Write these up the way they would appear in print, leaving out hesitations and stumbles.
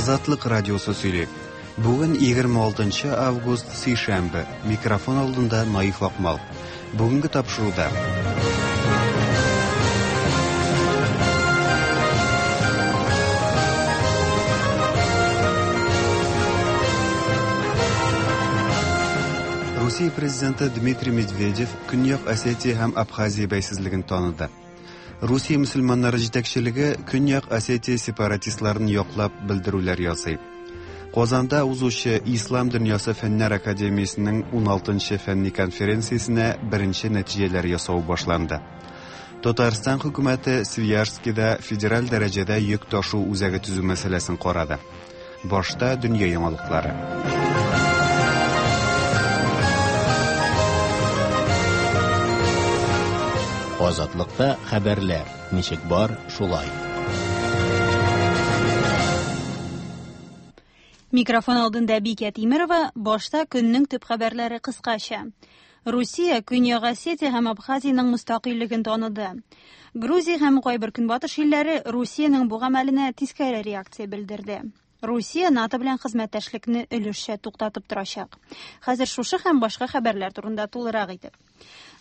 Азатлык радиосы сөйли. Бүген 26 август, сишәмбе. Микрофон алдында Наиф Акмал. Бүгенге тапшыруда Русия президенты Дмитрий Медведев Көньяк Осетия һәм Абхазия бәйсезлеген таныды. Русия мөселманнары җитәкчелеге Көньяк Осетия сепаратистларын яклап белдерүләр ясый. Казанда узучы Ислам дөньясы фәннәр академиясенең 16-нчы фәнни конференциясенә беренче нәтиҗәләр ясау башланды. Татарстан хөкүмәте Свияжскида федераль дәрәҗәдә йөк ташу үзәге төзү мәсьәләсен карады. Башта дөнья яңалыклары. Азатлыкта хәбәрләр ничек бар, шулай. Микрофон алдында Бикә Тимерова, башта көннең төп хәбәрләре кыскача. Русия Көньяк Осетия һәм Абхазиянең мөстәкыйльлеген таныды. Грузия һәм кайбер көнбатыш илләре Русиянең бу гамәленә тискәре реакция белдерде. Русия НАТО белән хезмәттәшлекне өлешчә туктатып торачак. Хәзер шушы һәм башка хәбәрләр турында тулырак итеп.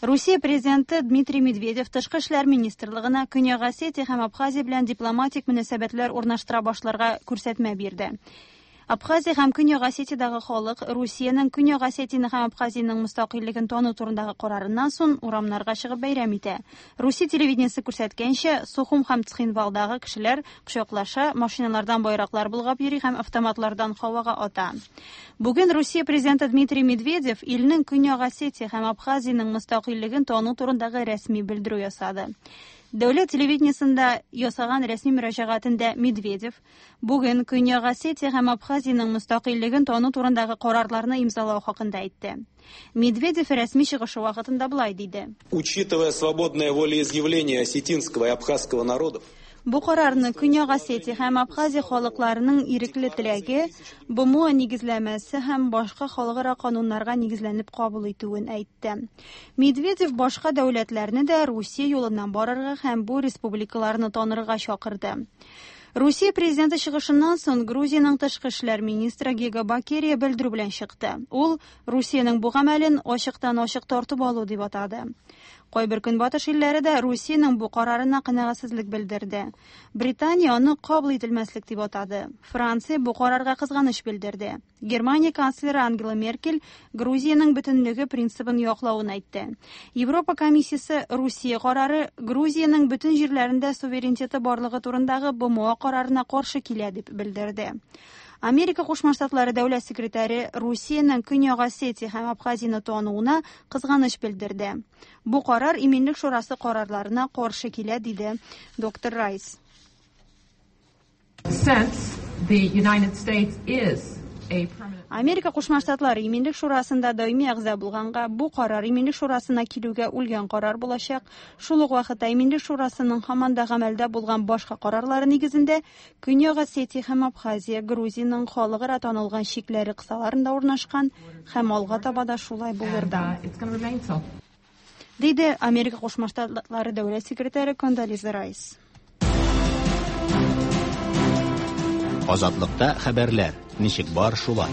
Русия президенты Дмитрий Медведев тышкы эшләр министрлыгына Көньяк Осетия һәм Абхазия белән дипломатик мөнәсәбәтләр урнаштыра башларга күрсәтмә бирде. Абхазия һәм Көньяк Осетиядагы халык Русиянең Көньяк Осетияне һәм Абхазиянең мөстәкыйльлеген тану турындагы карарыннан соң урамнарга чыгып бәйрәм итә. Русия телевидениесе күрсәткәнчә, Сухум һәм Цхинвалдагы кешеләр кочаклаша, машиналардан байраклар болгап йөри һәм автоматлардан һавага ата. Бүген Русия президенты Дмитрий Медведев илнең Көньяк Осетия һәм Абхазиянең мөстәкыйльлеген тану турындагы рәсми белдерү ясады. Дәүләт телевидениесендә ясаган рәсми мөрәҗәгатендә Медведев Бүген Көньяк Осетия һәм Абхазиянең мөстәкыйльлеген тану турындагы карарларны имзалау хакында әйтте. Медведев рәсми чыгышы вакытында болай диде. Учитывая свободное волеизъявление осетинского и абхазского народов, Бу карарны Көньяк Осетия һәм Абхазия халыкларының ирекле теләге, БМО нигезләмәсе һәм башка халыкара кануннарга нигезләнеп кабул итүен әйтте. Медведев башка дәүләтләрне дә Русия юлыннан барырга һәм бу республикаларны танырга чакырды. Русия президенты чыгышыннан соң Грузиянең тышкы эшләр министры Гига Бакерия белдерү белән чыкты. Ул Русиянең бу гамәлен ачыктан-ачык тартып алу дип атады. Кайбер көнбатыш илләре дә Русиянең бу карарына канәгатьсезлек белдерде. Британия аны кабул ителмәслек дип атады. Франция бу карарга кызганыч белдерде. Германия канцлеры Ангела Меркель Грузиянең бөтенлеге принцибын яклавын әйтте. Европа комиссиясе Русия карары Грузиянең бөтен җирләрендә суверенитеты барлыгы турындагы БМО карарына каршы килә дип белдерде. Америка Кушма Штатлары дәүләт секретаре Русиянең Көньяк Осетия һәм Абхазияне тануына кызганыч белдерде. Бу карар Иминлек шурасы карарларына каршы килә, диде доктор Райс. Америка Кушма Штатлары Иминлек шурасында даими әгъза булганга, бу карар Иминлек шурасына килүгә үлгән карар булачак. Шул ук вакытта Иминлек шурасының һаман да гамәлдә булган башка карарлары нигезендә Көньяк Осетия һәм Абхазия Грузиянең халыкара танылган чикләре кысаларында урнашкан һәм алга таба да шулай булыр да. Диде Америка Кушма Штатлары дәүләт секретаре Кондолиза Райс. Азатлыкта хәбәрләр ничек бар шулай.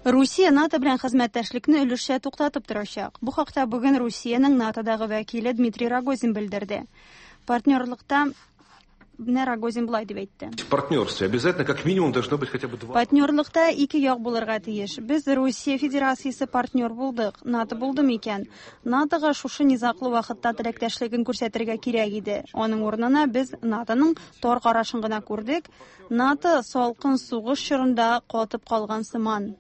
Русия НАТО белән хезмәттәшлекне өлешчә туктатып торачак. Бу хакта бүген Русиянең НАТОдагы вәкиле Дмитрий Рогозин белдерде. Партнерлыкта Менә Рогозин болай дип әйтте. В партнерстве обязательно как минимум должно быть хотя бы два. Партнерлыкта ике як булырга тиеш. Без Русия Федерациясе партнер булдык. НАТО булды микән? НАТОга шушы низаглы вакытта теләктәшлеген күрсәтергә кирәк иде. Аның урынына без НАТОның тар карашын гына күрдек. НАТО салкын сугыш чорында катып калган сыман.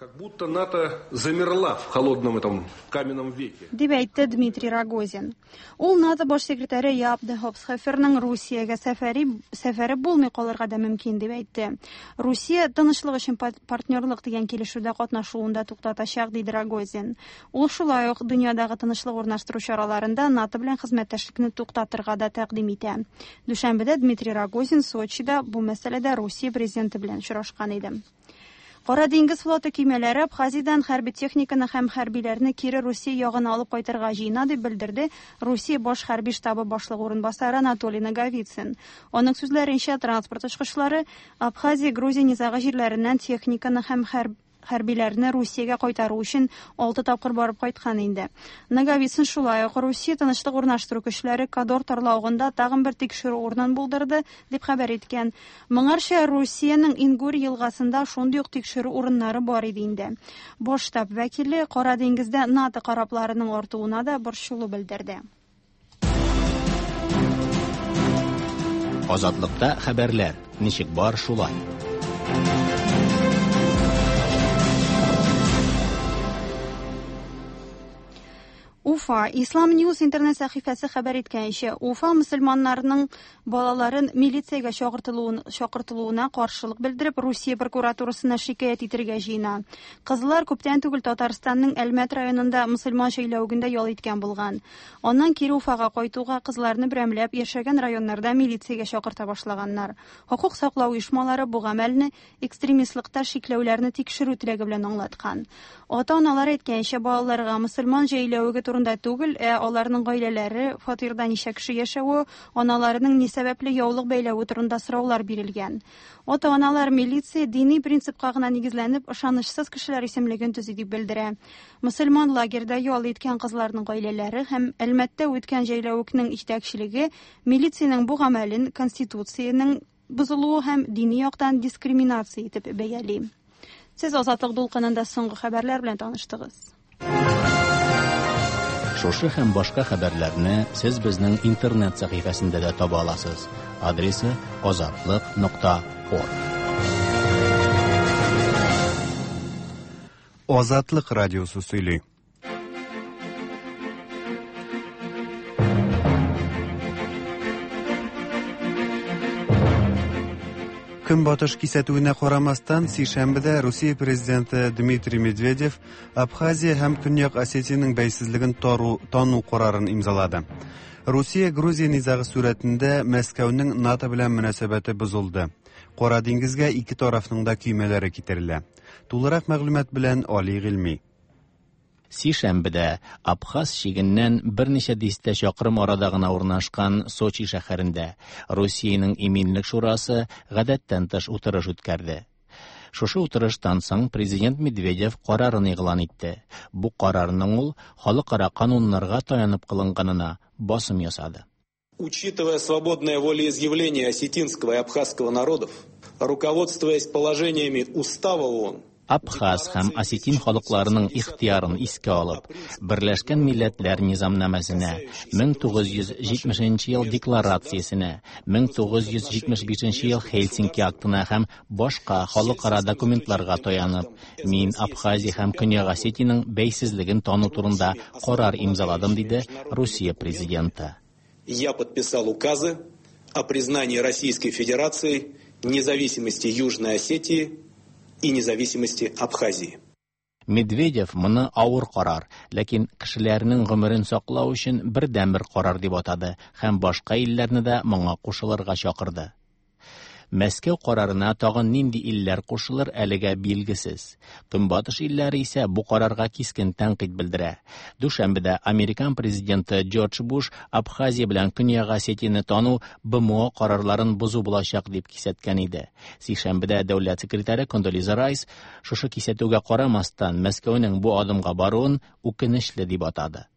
Как будто НАТО замерла в холодном этом каменном веке. Дип әйтте Дмитрий Рогозин. Ул НАТО баш секретаре Яп де Хопсхоферның Русиягә сәфәри сәфәре булмый калырга да мөмкин дип әйтте. Русия тынычлык өчен партнерлык дигән килешүдә катнашуын да туктатачак, диде Рогозин. Ул шулай ук дөньядагы тынычлык урнаштыру чараларында НАТО белән хезмәттәшлекне туктатырга да тәкъдим итә. Дүшәмбедә Дмитрий Рогозин Сочида бу мәсьәләдә Русия президенты белән очрашкан иде. Кара диңгез флоты көймәләре Абхазиядән хәрби техниканы һәм хәрбиләрне кире Русия ягына алып кайтырга җыена, дип белдерде Русия баш хәрби штабы башлыгы урынбасары Анатолий Наговицын. Аның сүзләренчә, транспорт очкычлары Абхазия-Грузия низагы җирләреннән техниканы һәм хәрбиләрне Русиягә кайтару өчен 6 тапкыр барып кайткан инде. Наговицын шулай ук Русия тынычлык урнаштыру көчләре Кадор тарлавыгында тагын бер тикшерү урынын булдырды, дип хәбәр иткән. Моңарча Русиянең Ингур елгасында шундый ук тикшерү урыннары бар иде инде. Баш штаб вәкиле Кара диңгездә НАТО корабларының артуына да борчылу белдерде. Азатлыкта хәбәрләр ничек бар шулай. Уфа Ислам Ньюс интернет сәхифәсе хәбәр иткәнчә, Уфа мөселманнарының балаларын милициягә чакыртылуын чакыртылуына каршылык белдереп, Русия прокуратурасына шикаять итергә җыена. Кызлар күптән түгел Татарстанның Әлмәт районында мөселман җәйләвегендә ял иткән булган. Аннан кире Уфага кайтуга кызларны берәмләп яшәгән районнарда милициягә чакырта башлаганнар. Хокук саклау оешмалары бу гамәлне экстремистлыкта шикләүләрне тикшерү теләге белән аңлаткан. Ата-аналар әйткәнчә, балаларга мөселман җәйләвеге турында түгел, ә аларның гаиләләре, фатирда ничә кеше яшәве, аналарының ни сәбәпле яулык бәйләве турында сораулар бирелгән. Ата-аналар милиция дини принципка гына нигезләнеп, ышанычсыз кешеләр исемлеген төзи дип белдерә. Мөселман лагерьда ял иткән кызларның гаиләләре һәм Әлмәттә үткән җәйләвекнең җитәкчелеге милициянең бу гамәлен Конституциянең бозылуы һәм дини яктан дискриминация итеп бәяли. Сез Азатлык дулкынында соңгы хәбәрләр белән таныштыгыз. Шушы һәм башка хәбәрләрне сез безнең интернет сәхифәсендә дә таба аласыз. Адресы азатлык.орг. Азатлык радиосы сөйли. Көнбатыш кисәтүенә карамастан, сишәмбедә Русия президенты Дмитрий Медведев Абхазия һәм Көньяк Осетиянең бәйсезлеген тару, тану карарын имзалады. Русия-Грузия низагы сурәтендә Мәскәүнең НАТО белән мөнәсәбәте бозылды. Кара диңгезгә ике тарафның да көймәләре китерелә. Тулырак мәгълүмат белән Али Гыйльми. Сишәмбедә Абхаз чигеннән берничә дистә чакрым арада гына урнашкан Сочи шәһәрендә Русиянең Иминлек шурасы гадәттән тыш утырыш үткәрде. Шушы утырыштан соң президент Медведев карарын игълан итте. Бу карарның ул халыкара кануннарга таянып кылынганына басым ясады. Учитывая свободное волеизъявление осетинского и абхазского народов, руководствуясь положениями Устава ООН, Абхаз һәм осетин халыкларының ихтыярын искә алып, Берләшкән Милләтләр Низамнамәсенә, 1970 ел декларациясенә, 1975 ел Хельсинки актына һәм башка халыкара документларга таянып, мин Абхазия һәм Көньяк Осетиянең бәйсезлеген тану турында карар имзаладым, диде Русия президенты. Я подписал указы о признании Российской Федерации независимости Южной Осетии и независимости Абхазии. Медведев моны авыр карар, ләкин кешеләрнең гомерен саклау өчен бердәнбер карар дип атады һәм башка илләрне дә моңа кушылырга чакырды. Мәскәү карарына тагын нинди илләр кушылыр әлегә билгесез. Көнбатыш илләре исә бу карарга кискен тәнкыйть белдерә. Дүшәмбедә американ президенты Джордж Буш Абхазия белән Көньяк Осетияне тану БМО карарларын бозу булачак дип кисәткән иде. Сишәмбедә дәүләт секретаре Кондолиза Райс шушы кисәтүгә карамастан Мәскәүнең бу адымга баруын үкенечле дип атады.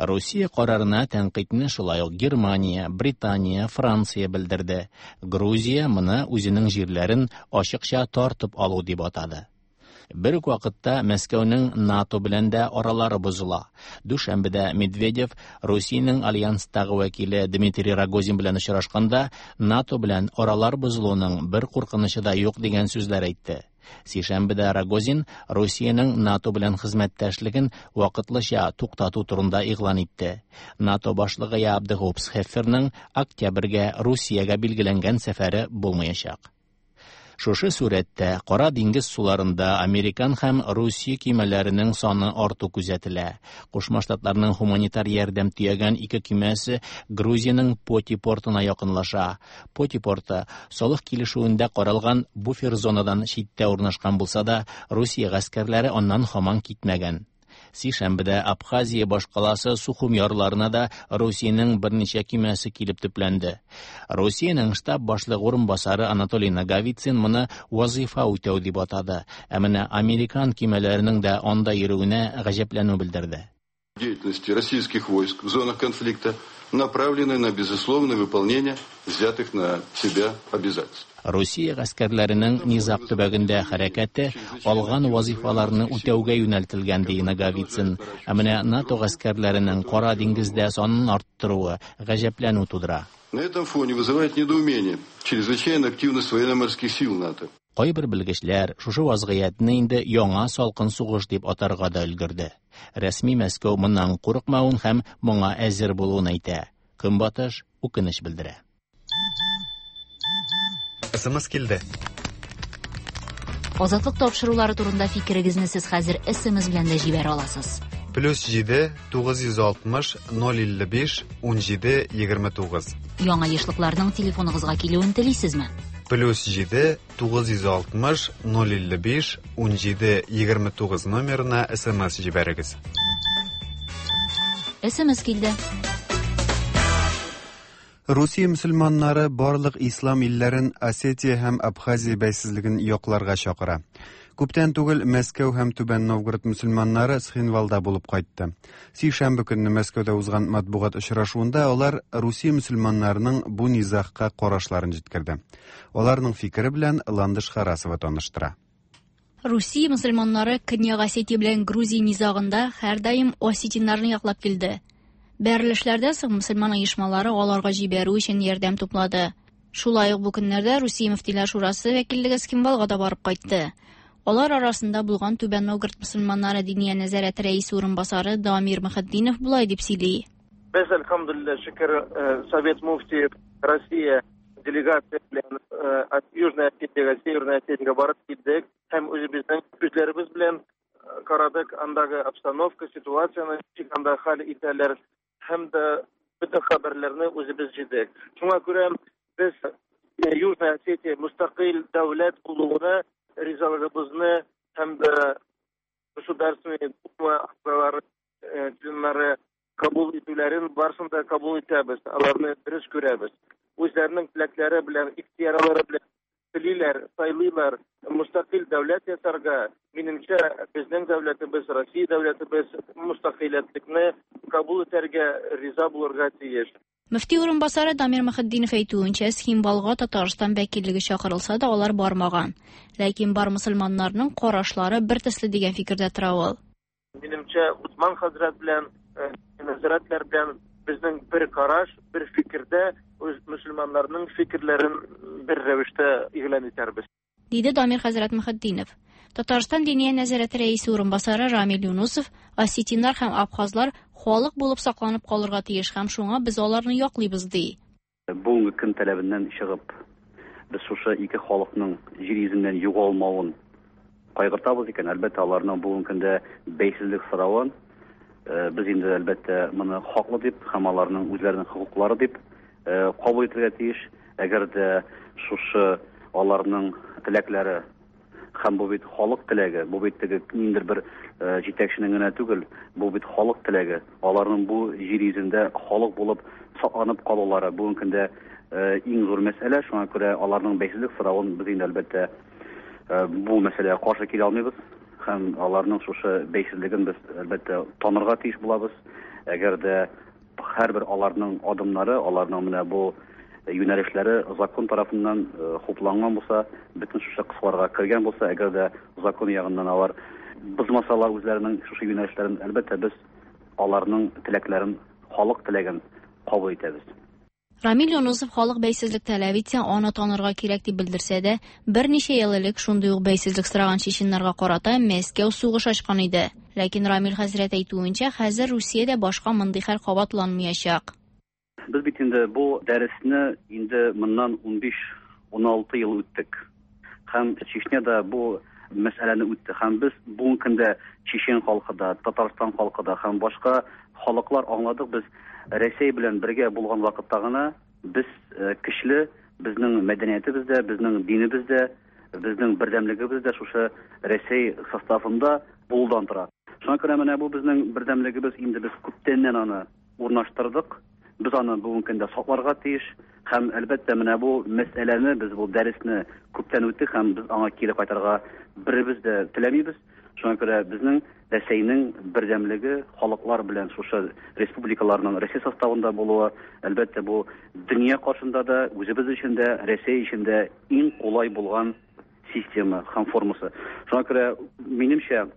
Русия карарына тәнкыйтьне шулай ук Германия, Британия, Франция белдерде. Грузия моны үзенең җирләрен ачыкча тартып алу дип атады. Бер үк вакытта Мәскәүнең НАТО белән дә аралары бозыла. Дүшәмбедә Медведев Русиянең альянстагы вәкиле Дмитрий Рогозин белән очрашканда НАТО белән аралар бозылуның бер куркынычы да юк дигән сүзләр әйтте. Сишәмбедә Рогозин Русиянең НАТО белән хезмәттәшлеген вакытлыча туктату турында игълан итте. НАТО башлыгы Яап де Гоп Схефферның октябрьгә Русиягә билгеләнгән сәфәре булмаячак. Шушы сурәттә Кара диңгез суларында американ һәм Русия көймәләренең саны арту күзәтелә. Кушма Штатларның һуманитар ярдәм төягән ике көймәсе Грузиянең Поти портына якынлаша. Поти порты солых килешүендә каралган буфер зонадан читтә урнашкан булса да, Русия гаскәрләре аннан һаман китмәгән. Сишәмбедә Абхазия башкаласы Сухум ярларына да Русиянең берничә көймәсе килеп төпләнде. Русиянең штаб башлыгы урынбасары Анатолий Наговицын моны вазифа үтәү дип атады. Ә менә американ көймәләренең дә анда йөрүенә гаҗәпләнү белдерде. Деятельности российских войск в зонах конфликта направлены на безусловное выполнение взятых на себя обязательств. Русия гаскәрләренең низаг төбәгендә хәрәкәте алган вазифаларны үтәүгә юнәлтелгән, ди Наговицын. Ә менә НАТО гаскәрләренең Кара диңгездә санын арттыруы гаҗәпләнү тудыра. На этом фоне вызывает недоумение чрезвычайная активность военно-морских сил НАТО. Кайбер белгечләр шушы вазгыятьне инде яңа салкын сугыш дип атарга да өлгерде. Рәсми Мәскәү моннан курыкмавын һәм моңа әзер булуын әйтә. Көнбатыш үкенеч белдерә. СМС килде. Азатлык тапшырулары турында фикерегезне сез хәзер СМС белән дә җибәрә аласыз. Плюс 7 960 055 17 29. Яңа ешлыкларның телефоныгызга килүен телисезме? Плюс 7 960 055 17 29 номерына СМС җибәрегез. СМС килде. Русия мөселманнары барлык ислам илләрен Осетия һәм Абхазия бәйсезлеген якларга чакыра. Күптән түгел Мәскәү һәм Түбән Новгород мөселманнары Цхинвалда булып кайтты. Сишәмбе көнне Мәскәүдә узган матбугат очрашуында алар Русия мөселманнарының бу низагка карашларын җиткерде. Аларның фикере белән Ландыш Харасова таныштыра. Русия мөселманнары Көньяк Осетия белән Грузия низагында һәрдаим осетиннарны яклап килде. Бәрелешләрдән соң мөселман оешмалары аларга җибәрү өчен ярдәм туплады. Шулай ук бу көннәрдә Русия мөфтиләр шурасы вәкиллеге Цхинвалга да барып кайтты. Алар арасында булган Түбән Новгород мөселманнары диния нәзарәте рәисе урынбасары Дамир Мөхетдинов болай дип сөйли. Без, әлхәмдүлилләһ, шөкер, Совет муфти Россия делегация белән Южная Осетиягә, Северная Осетиягә барып килдек һәм үзебезнең күзләребез белән карадык андагы обстановка, ситуацияне, ничек анда хәл итәләр һәм дә бөтен хәбәрләрне үзебез җыйдык. Шуңа күрә без Южная Осетия мустақил дәүләт булуына ризалыгыбызны һәм дә Государственный Дума әгъзалары, членнары кабул итүләрен барысын да кабул итәбез, аларны дөрес күрәбез. Үзләренең теләкләре белән, ихтыярлары белән телиләр, сайлыйлар мустақил дәүләт ясарга. Минемчә, безнең дәүләтебез, Россия дәүләтебез мустақиллекне кабул итәргә риза булырга тиеш. Мөфти урынбасары Дамир Мөхетдинов әйтүенчә, Цхинвалга Татарстан вәкиллеге чакырылса да алар бармаган. Ләкин бар мөселманнарның карашлары бер төсле дигән фикердә тора ул. Минемчә, Усман хәзрәт белән, нәзарәтләр белән безнең бер караш, бер фикердә үз мөселманнарның фикерләрен бер рәвештә игълан итәрбез. Диде Дамир хәзрәт Мөхетдинов. Татарстан диния нәзарәте рәисе урынбасары Рамил Юнусов осетиннар һәм абхазлар халык булып сакланып калырга тиеш һәм шуңа без аларны яклыйбыз, ди. Бүгенге көн таләбеннән чыгып, без шушы ике халыкның җир йөзеннән югалмавын кайгыртабыз икән, әлбәттә, аларның бүгенге көндә бәйсезлек соравын без инде әлбәттә моны хаклы дип һәм аларның үзләренең хокуклары дип кабул итәргә тиеш. Әгәр дә шушы аларның теләкләре һәм бу бит халык теләге, бу бит теге ниндидер бер җитәкченең генә түгел, бу бит халык теләге. Аларның бу җир йөзендә халык булып сакланып калулары бүгенге көндә иң зур мәсьәлә. Шуңа күрә аларның бәйсезлек соравын без инде әлбәттә бу мәсьәләгә каршы килә алмыйбыз һәм аларның шушы бәйсезлеген без әлбәттә танырга тиеш булабыз. Әгәр дә һәрбер аларның адымнары, аларның менә бу юнәлешләре закон тарафыннан хупланган булса, бөтен шушы кысаларга кергән булса, әгәр дә закон ягыннан алар бозмасалар үзләренең шушы юнәлешләрен, әлбәттә без аларның теләкләрен, халык теләген кабул итәбез. Рамил Юнусов халык бәйсезлек таләп итсә, аны танырга кирәк дип белдерсә дә, берничә ел элек шундый ук бәйсезлек сораган чеченнарга карата Мәскәү сугыш ачкан иде. Ләкин Рамил хәзрәт әйтүенчә, хәзер Русиядә башка мондый хәл кабатланмаячак. Без бит инде бу дәресне инде моннан 15-16 ел үттек. Һәм Чечняда бу мәсьәләне үтте. Һәм без бүгенге көндә Чечен халкы да, Татарстан халкы да һәм башка халыклар аңладык, без Рәсәй белән бергә булган вакытта гына без көчле, безнең мәдәниятебез дә, безнең динебез дә, безнең бердәмлегебез дә шушы Рәсәй составында булудан тора. Шуңа күрә менә бу безнең бердәмлегебез инде без күптәннән аны урнаштырдык. Без аны бүгенге көндә сакларга тиеш. Һәм, әлбәттә, менә бу мәсьәләне, без бу дәресне күптән үттек һәм без аңа кире кайтырга беребез дә теләмибез. Шуңа күрә безнең Рәсәйнең бердәмлеге, халыклар белән шушы республикаларның Рәсәй составында булуы, әлбәттә, бу дөнья каршында да, үзебез өчен дә, Рәсәй өчен дә иң кулай булган система һәм формасы. Шуңа күрә, минемчә,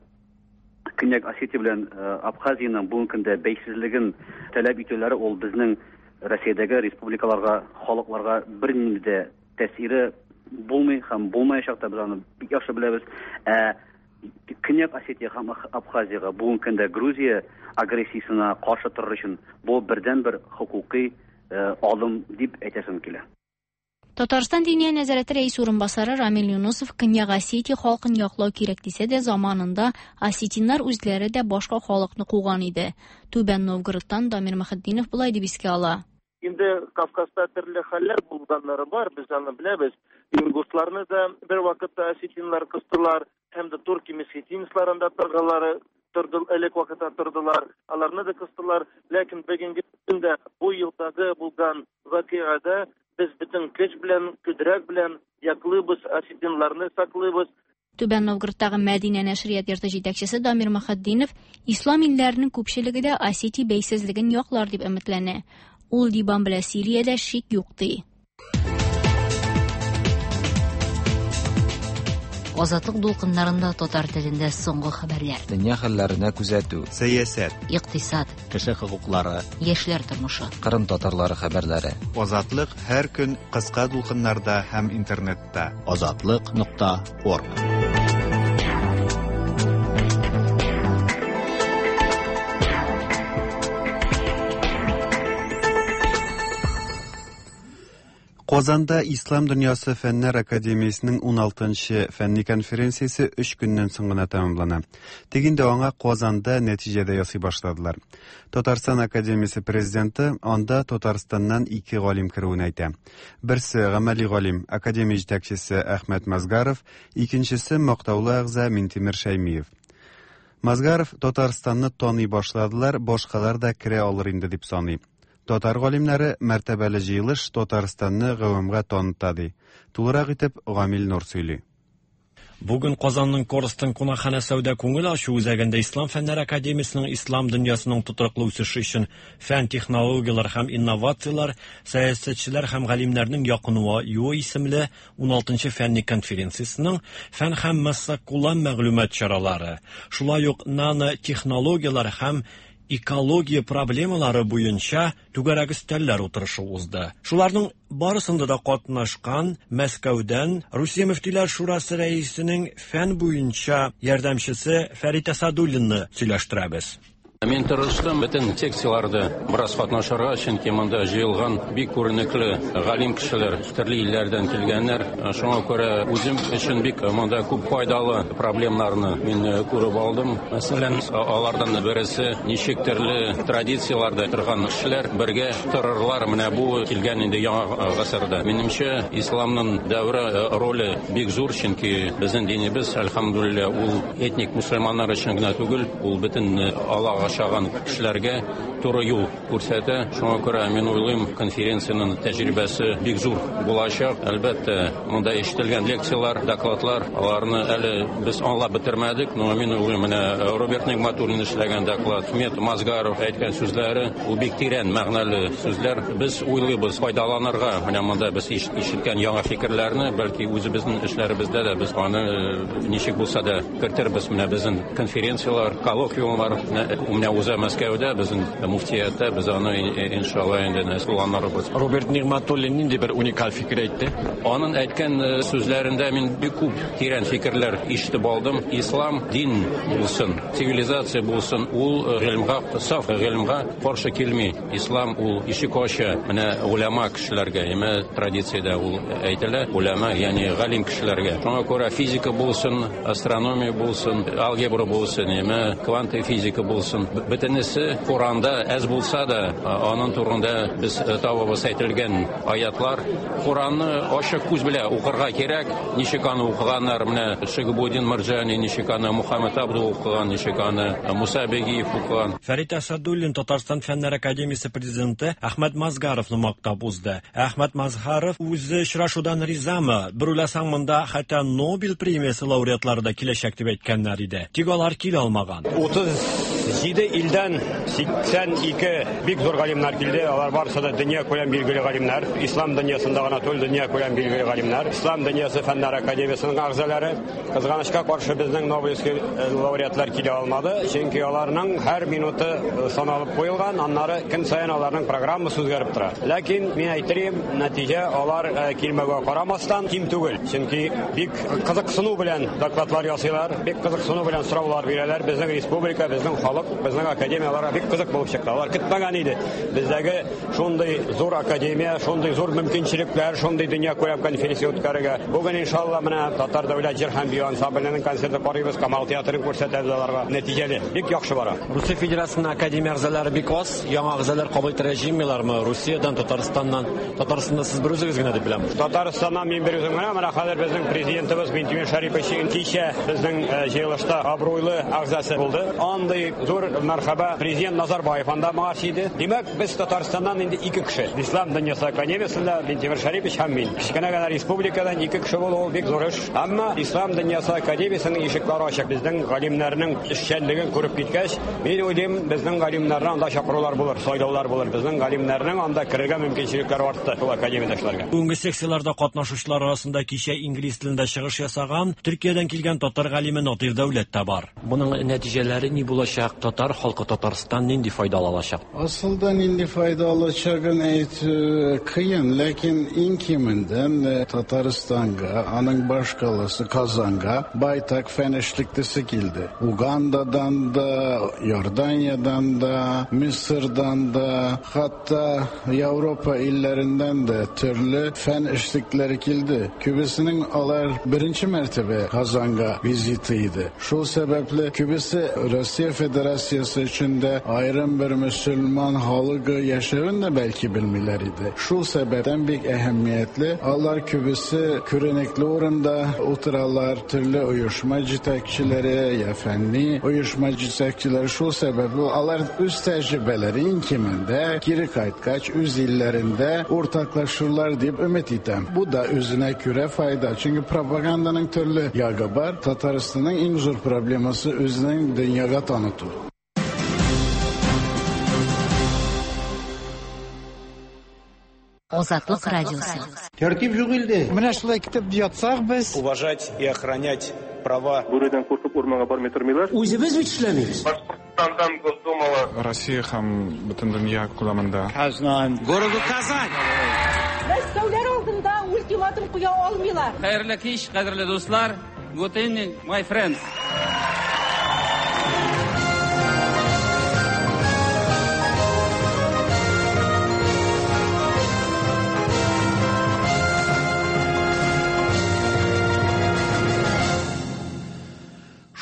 Көньяк Осетия белән Абхазиянең бүгенге көндә бәйсезлеген таләп итүләре ул безнең Россиядәге республикаларга, халыкларга бернинди дә тәэсире булмый һәм булмаячак та, без аны бик яхшы беләбез. Ә Көньяк Осетия һәм Абхазиягә бүгенге көндә Грузия агрессиясенә каршы торыр өчен бу бердәнбер хокукый адым дип әйтәсем килә. Татарстан Диния нәзарәте рәисе урынбасары Рамил Юнусов Көньяк Осетия халкын яклау кирәк дисә дә, заманында осетиннар үзләре дә башка халыкны куган иде. Түбән Новгородтан Дамир Мөхетдинов болай дип искә ала. Инде Кавказда төрле хәлләр булганнары бар, без аны беләбез. Ингушларны да бер вакытта осетиннар кыстылар, һәм дә турки месхетинецларын да торгалары торды, элек вакытта тордылар, аларны да кыстылар. Ләкин бүгенге көндә бу елдагы булган вакыйгада без бөтен көч белән, кодрәт белән яклыйбыз, осетинларны саклыйбыз. Түбән Новгородтагы Мәдинә нәшрият йорты җитәкчесе Дамир Мөхетдинов ислам илләренең күпчелеге дә Осетия бәйсезлеген яклар дип өметләнә. Ул Ливан белән Сириядә шик юк ди. Азатлык дулкыннарында татар телендә соңгы хәбәрләр. Дөнья хәлләренә күзәтү. Сәясәт. Икътисад. Кеше хокуклары. Яшьләр тормышы. Кырым татарлары хәбәрләре. Азатлык һәр көн кыска дулкыннарда һәм интернетта. Азатлык.орг. Казанда Ислам дөньясы фәннәр академиясенең 16-нчы фәнни конференциясе 3 көннән соң гына тәмамлана. Тик инде аңа Казанда нәтиҗә дә ясый башладылар. Татарстан академиясе президенты анда Татарстаннан 2 галим керүен әйтә. Берсе гамәли галим, академия җитәкчесе Әхмәт Мазгаров, икенчесе мактаулы әгъза Минтимер Шәймиев. Мазгаров Татарстанны таный башладылар, башкалар да керә алыр инде дип саный. Татар галимнәре мәртәбәле җыелыш Татарстанны гавамга таныта ди. Тулырак итеп Гамил Нур сөйли. Бүген Казанның Корстон кунакханә сәүдә күңел ачу үзәгендә Ислам фәннәр академиясенең ислам дөньясының тотрыклы үсеше өчен фән, технологияләр һәм инновацияләр, сәясәтчеләр һәм галимнәрнең якынуы исемле 16-нчы фәнни конференциясенең фән һәм массакүләм мәгълүмат чаралары, шулай ук нанотехнологияләр һәм экология проблемалары буенча түгәрәк өстәлләр утырышы узды. Шуларның барысында да катнашкан Мәскәүдән Русия мөфтиләр шурасы рәисенең фән буенча ярдәмчесе Фәрит Асадуллинны сөйләштерәбез. Мин тырыштым бөтен секцияларда бераз катнашырга, чөнки монда җыелган бик күренекле галим кешеләр, төрле илләрдән килгәннәр. Шуңа күрә үзем өчен бик монда күп файдалы проблемнарны мин күреп алдым. Мәсәлән, алардан берсе ничек төрле традицияләрдә торган кешеләр бергә торырлар. Менә бу килгән инде яңа гасырда. Минемчә, исламның дәвре роле бик зур, чөнки безнең динебез, әлхәмдүлилләһ, ул этник мусульманнар өчен генә түгел, ул бөтен Аллаһка ашаган кешеләргә туры юл күрсәтә. Шуңа күрә мин уйлыйм, конференциянең тәҗрибәсе бик зур булачак. Әлбәттә, монда ишетелгән лекцияләр, докладлар, аларны әле без аңлап бетермәдек, но мин уйлыйм, менә Роберт Нигматуллин эшләгән доклад, Ахмет Мазгаров әйткән сүзләре, ул бик тирән мәгънәле сүзләр. Без уйлыйбыз файдаланырга, менә монда без ишеткән яңа фикерләрне, бәлки үзебезнең эшләребездә дә без аны ничек булса да кертербез. Менә безнең конференцияләр, коллоквиумлар, менә менә уза Мәскәүдә, безнең муфтияттә, без аны иншалла инде планларыбыз. Роберт Нигъмәтуллин нинди бер уникаль фикер әйтте? Аның әйткән сүзләрендә мин бик күп тирән фикерләр ишетеп алдым. Ислам дин булсын, цивилизация булсын, ул гыйлемгә, саф гыйлемгә каршы килми. Ислам ул ишек ача менә голяма кешеләргә, әмма традициядә ул әйтелә, голяма, ягъни галим кешеләргә. Шуңа күрә физика булсын, астрономия булсын, алгебра булсын, әмма квант физика булсын, бөтенесе Коранда әз булса да, аның турында без табабыз әйтелгән аятлар. Коранны ачык күз белән укырга кирәк. Ничек аны укыганнар, менә Шигабудин Марҗани, ничек аны Мухаммад Абду укыган, ничек аны Муса Бегиев укыган. Фәрит Әсәдуллин Татарстан Фәннәр академиясе президенты Әхмәт Мазгаровны мактап узды. Әхмәт Мазһаров үзе очрашудан ризамы? Бер уйласаң, монда хәтта Нобель премиясе лауреатлары да киләчәк дип әйткәннәр иде. Тик алар килә алмаган. 37 илдән 82 бик зур галимнәр килде. Алар барысы да дөнья күләм билгеле галимнәр. Ислам дөньясында гына түгел, дөнья күләм билгеле галимнәр. Ислам дөньясы фәннәр академиясенең әгъзалары. Кызганычка каршы безнең Нобелевский лауреатлар килә алмады, чөнки аларның һәр минуты саналып куелган, аннары көн саен аларның программасы үзгәреп тора. Ләкин мин әйтерим, нәтиҗә алар килмәүгә карамастан ким түгел, чөнки бик кызыксыну белән докладлар ясыйлар, бик кызыксыну белән сораулар бирәләр. Безнең республика, безнең халык, безнең академия аларга бик кызык булып чыкты. Алар көтмәгән иде. Бездәге шундый зур академия, шундый зур мөмкинчелекләр, шундый дөнья күләм конференция үткәрергә. Бүген иншалла менә Татар дәүләт җыр һәм бию ансамбленең концерты карыйбыз, Камал театрын күрсәтәбез аларга. Нәтиҗәле, бик яхшы бара. Русия Федерациясенең академия әгъзалары бик аз, яңа әгъзалар кабул итәргә җыенмыйлармы? Русиядән, Татарстаннан? Татарстанда сез бер үзегез генә дип беләм. Татарстаннан мин бер үзем генә. Менә хәзер безнең президентыбыз Минтимер Шәрипович кичә безнең җыелышта абруйлы әгъзасы булды. Андый зур мәрхәбә президент Назарбаев анда моңарчы иде. Димәк, без Татарстаннан инде ике кеше. Ислам дөньясы академиясендә Минтимер Шәрипович һәм мин. Кечкенә генә республикадан ике кеше булу ул бик зур эш. Әмма Ислам дөньясы академиясенең ишекләре ачык. Безнең галимнәрнең эшчәнлеген күреп киткәч, мин уйлыйм, безнең галимнәрне анда чакырулар булыр, сайлаулар булыр. Безнең галимнәрнең анда керергә мөмкинчелекләре артты шул академиядә эшләргә. Бүгенге секцияләрдә катнашучылар арасында кичә инглиз телендә чыгыш ясаган Төркиядән килгән татар галиме Надир Дәүләт тә бар. Моның нәтиҗәләре ни булачак? Татар халкы, Татарстан нинди файда ала алачак? Асылда нинди файда алачагын әйтү кыен, ләкин иң кимендән Татарстанга, аның башкаласы Казанга байтак фән эшлеклесе килде. Угандадан да, Иорданиядән дә, Мисырдан да, хәтта Европа илләреннән дә төрле фән эшлекләре килде. Күбесенең алар беренче мәртәбә Казанга визиты иде. Шул сәбәпле күбесе Россия Федерациясе өчен дә аерым бер мөселман халыгы яшәвен дә бәлки белмиләр иде. Шул сәбәптән бик әһәмиятле, алар күбесе күренекле урында утыралар, төрле оешма җитәкчеләре я фәнни оешма җитәкчеләре. Шул сәбәпле алар үз тәҗрибәләре иң кимендә кире кайткач үз илләрендә уртаклашырлар дип өмет итәм. Бу да үзенә күрә файда, чөнки пропаганданың төрле ягы бар. Татарстанның иң зур проблемасы үзенең дөньяга таныту. Азатлык радиосы. Тәртип юк илдә. Менә шулай китеп ятсак без. Уважать и охранять права. Бүредән куркып урманга бармый тормыйлар. Үзебез бит эшләмибез. Башкортстандан Госдумала. Россия һәм бөтен дөнья күләмендә. Казан. Городу Казань. Мәскәүләр алдында ультиматум куя алмыйлар. Хәерле кич, кадерле дуслар. Good evening, my friends.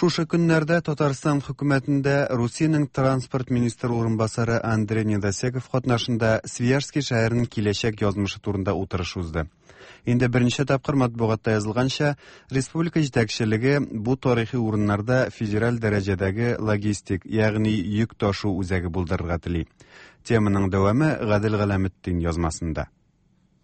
Шушы көннәрдә Татарстан хөкүмәтендә Русиянең транспорт министры урынбасары Андрей Недосеков катнашында Свияжский шәһәренең киләчәк язмышы турында утырыш узды. Инде берничә тапкыр матбугатта язылганча, республика җитәкчелеге бу тарихи урыннарда федераль дәрәҗәдәге логистик, ягъни йөк ташу үзәге булдырырга тели. Теманың дәвамы Гадел Галәметдин язмасында.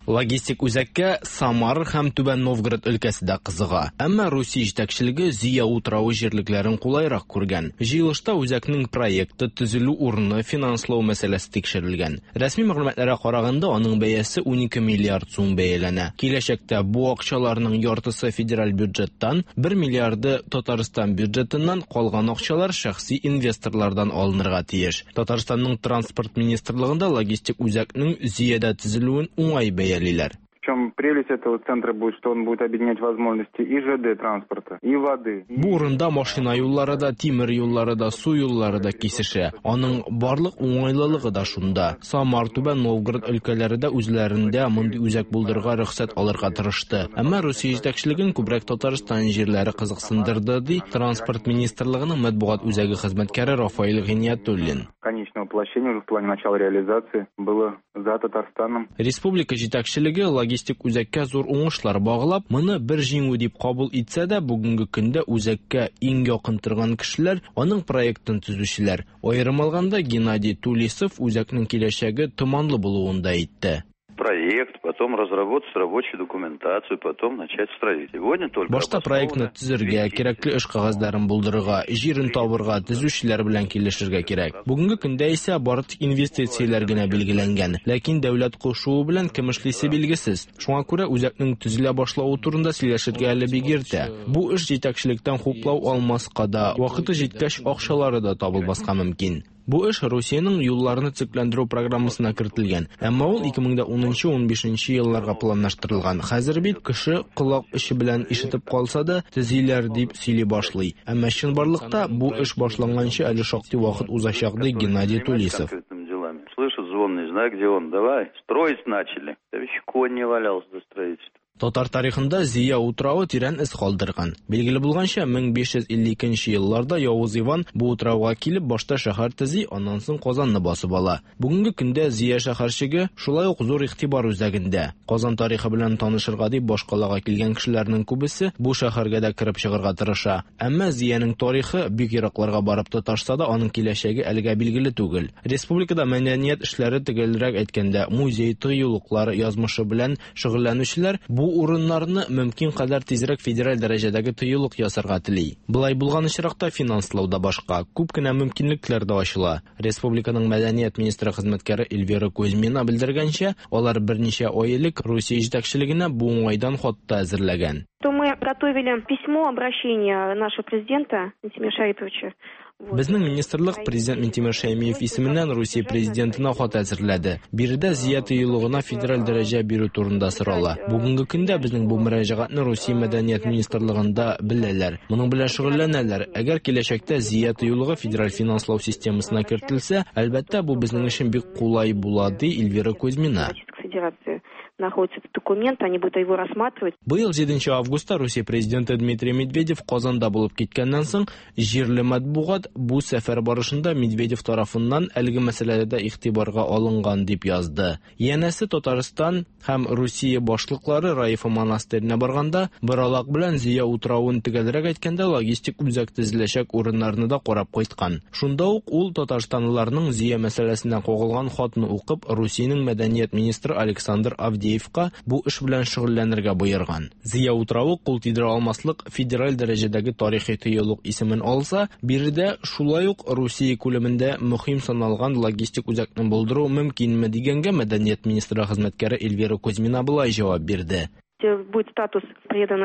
Логистик үзәккә Самар һәм Түбән Новгород өлкәсе дә кызыга. Әмма Русия җитәкчелеге Зөя утравы җирлекләрен кулайрак күргән. Җыелышта үзәкнең проекты, төзелү урыны, финанслау мәсьәләсе тикшерелгән. Рәсми мәгълүматларга караганда, аның бәясе 12 миллиард сум бәяләнә. Киләчәктә бу акчаларның яртысы федераль бюджеттан, 1 миллиарды Татарстан бюджетыннан, калган акчалар шәхси инвесторлардан алынырга тиеш. Татарстанның транспорт министрлыгында логистик үзәкнең Зөядә төзелүен уңай бәялиләр. В чем прелесть этого центра будет, что он будет объединять возможности и ЖД транспорта, и воды. Бу урында машина юллары да, тимер юллары да, су юллары да кисешә. Аның барлык уңайлылыгы да шунда. Самар, Түбән Новгород өлкәләре дә үзләрендә мондый үзәк булдырырга рөхсәт алырга тырышты. Әмма Русия җитәкчелеген күбрәк Татарстан җирләре кызыксындырды, ди Транспорт министрлыгының матбугат үзәге хезмәткәре Рафаэль Гыйниятуллин. Конечное воплощение уже в плане начала реализации было за Татарстаном. Республика җитәкчелеге логистик үзәккә зур уңышлар баглап, моны бер җиңү дип кабул итсә дә, бүгенге көндә үзәккә иң якын торган кешеләр, аның проектын төзүчеләр. Аерым алганда, Геннадий Тулисов үзәкнең киләчәге томанлы булуын да әйтте. Проект, потом разработать рабочую документацию, потом начать строить. Сегодня только Башта проектны төзергә, кирәкле эш кәгазьләрен булдырырга, җирен табырга, төзүчеләр белән килешергә кирәк. Бүгенге көндә исә бары тик инвестицияләр генә билгеләнгән. Ләкин дәүләт кушуы белән кем эшлисе билгесез. Шуңа күрә үзәкнең төзелә башлавы турында сөйләшергә әле бик иртә. Бу эш җитәкчелектән хуплау алмаска да, вакыты җиткәч акчалары да табылмаска мөмкин. Бу эш Русиянең юлларны төзекләндерү программасына кертелгән. Әмма ул 2010-15 елларга планлаштырылган. Хәзер бит кеше колак очы белән ишетеп калса да, төзиләр дип сөйли башлый. Әмма чынбарлыкта бу эш башланганчы әле шактый вакыт узачак, ди Геннадий Тулисов. Слышит звон, не знаю, где он. Давай, строить начали. Там еще конь не валялся до строительства. Татар тарихында Зөя утравы тирән эз калдырган. Билгеле булганча, 1552 нче елларда Явыз Иван бу утрауга килеп, башта шәһәр төзи, аннан соң Казанны басып ала. Бүгенге көндә Зөя шәһәрчеге шулай ук зур игътибар үзәгендә. Казан тарихы белән танышырга дип башкалага килгән кешеләрнең күбесе бу шәһәргә дә кереп чыгарга тырыша. Әмма Зөянең тарихы бик еракларга барып тоташса да, аның киләчәге әлегә билгеле түгел. Республикада мәдәният эшләре, төгәлрәк әйткәндә, музей, тыюлыклар язмышы белән шөгыльләнүчеләр бу урыннарны мөмкин кадәр тизрәк федераль дәрәҗәдәге тыюлык ясарга тели. Болай булган очракта финанслау да башка, күп кенә мөмкинлекләр дә ачыла. Республиканың мәдәният министры хезмәткәре Эльвира Кузьмина белдергәнчә, алар берничә ай элек Русия җитәкчелегенә бу уңайдан хат та әзерләгән. То мы готовили письмо обращение нашего президента Минтимера Шариповича. Безнең министрлык президент Минтимер Шәймиев исеменнән Русия президентына хат әзерләде. Биредә Зөя тыюлыгына федераль дәрәҗә бирү турында сорала. Бүгенге көндә безнең бу мөрәҗәгатьне Русия мәдәният министрлыгында беләләр. Моның белән шөгыльләнәләр. Әгәр киләчәктә Зөя тыюлыгы федераль финанслау системасына кертелсә, әлбәттә, бу безнең өчен бик кулай була, ди Эльвира Кузьмина. Федерация находится этот документ, они будут его рассматривать. Быел 7 августта Русия президенты Дмитрий Медведев Казанда булып киткәннән соң, җирле матбугат бу сәфәр барышында Медведев тарафыннан әлеге мәсьәләдә дә игътибарга алынган дип язды. Янәсе Татарстан һәм Русия башлыклары Раифа монастырена барганда, Боралак белән Зөя утравын, төгәлрәк әйткәндә, логистик үзәк төзеләчәк урыннарны да карап кайткан. Шунда ук ул татарстанлыларның Зөя мәсьәләсенә кагылган хатны укып, Русиянең мәдәният министры Александр Авдеевка бу эш белән шөгыльләнергә боерган. Зөя утравы кул тидерә алмаслык федераль дәрәҗәдәге тарихи тыюлык исемен алса, биредә шулай ук Русия күләмендә мөһим саналган логистик үзәкне булдыру мөмкинме дигәнгә мәдәният министры хезмәткәре Эльвира Кузьмина болай җавап бирде. Будет статус предан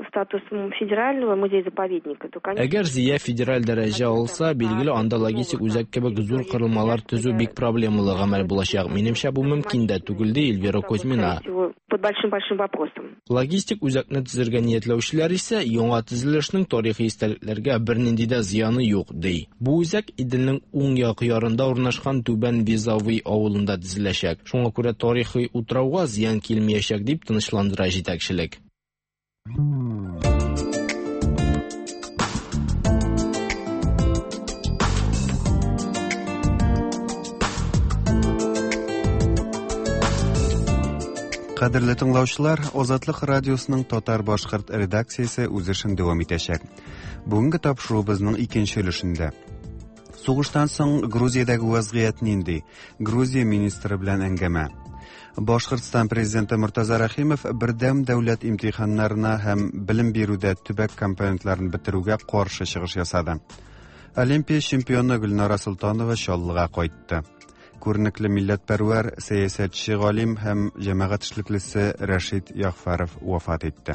статус федерального музея-заповедника, то, конечно, Әгәр Зөя федераль дәрәҗә алса, билгеле, анда логистик үзәк кебек зур корылмалар төзү бик проблемалы гамәл булачак. Минемчә, бу мөмкин дә түгел, ди Эльвира Кузьмина. Под большим-большим вопросом. Логистик үзәкне төзергә ниятләүчеләр исә яңа төзелешнең тарихи истәлекләргә бернинди дә зыяны юк, ди. Бу үзәк Иделнең уң як ярында урнашкан Түбән Вязовый авылында төзеләчәк. Шуңа күрә тарихи утрауга зыян килмәячәк дип тынычландыра җитәкчелек. Кадерле тыңлаучылар, Азатлык радиосының татар-башкорт редакциясе үз эшен дәвам итәчәк. Бүгенге тапшыруыбызның икенче өлешендә. Сугыштан соң Грузиядәге вазгыять нинди? Грузия министры белән әңгәмә. Башкортстан президенты Мортаза Рәхимов бердәм дәүләт имтиханнарына һәм белем бирүдә төбәк компонентларын бетерүгә каршы чыгыш ясады. Олимпия чемпионы Гөлнара Солтанова Чаллыга кайтты. Күренекле милләтпәрвәр, сәясәтче галим һәм җәмәгать эшлеклесе Рәшит Ягъфәров вафат итте.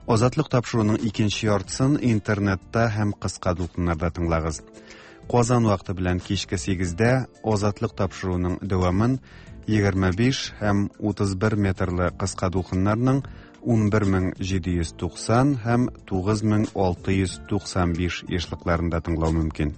Азатлык тапшыруының икенче яртысын интернетта һәм кыска дулкыннарда тыңлагыз. Казан вакыты белән кичке 8-дә Азатлык тапшыруының дәвамын 25 һәм 31 метрлы кыска дулкыннарның 11790 һәм 9695 ешлыкларында тыңлау мөмкин.